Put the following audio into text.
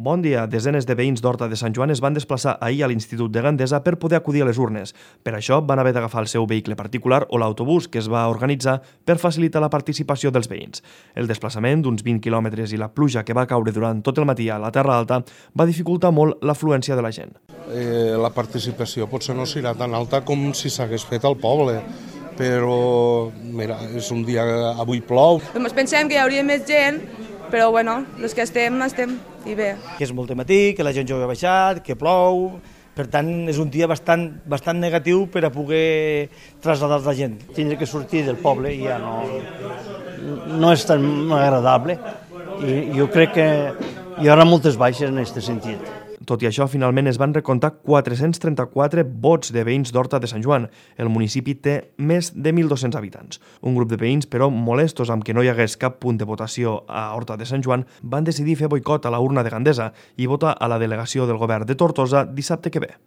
Bon dia. Desenes de veïns d'Horta de Sant Joan es van desplaçar ahir a l'Institut de Gandesa per poder acudir a les urnes. Per això van haver d'agafar el seu vehicle particular o l'autobús que es va organitzar per facilitar la participació dels veïns. El desplaçament d'uns 20 quilòmetres i la pluja que va caure durant tot el matí a la Terra Alta va dificultar molt l'afluència de la gent. La participació potser no serà tan alta com si s'hagués fet al poble, però mira, és un dia que avui plou. Ens pensem que hi hauria més gent, però bueno, els que estem i bé. Que és molt de matí, que la gent jove ha baixat, que plou, per tant és un dia bastant negatiu per a poder traslladar la gent. Tindre que sortir del poble ja no és tan agradable i jo crec que hi haurà moltes baixes en aquest sentit. Tot i això, finalment es van recomptar 434 vots de veïns d'Horta de Sant Joan. El municipi té més de 1.200 habitants. Un grup de veïns, però molestos amb que no hi hagués cap punt de votació a Horta de Sant Joan, van decidir fer boicot a la urna de Gandesa i votar a la delegació del govern de Tortosa dissabte que ve.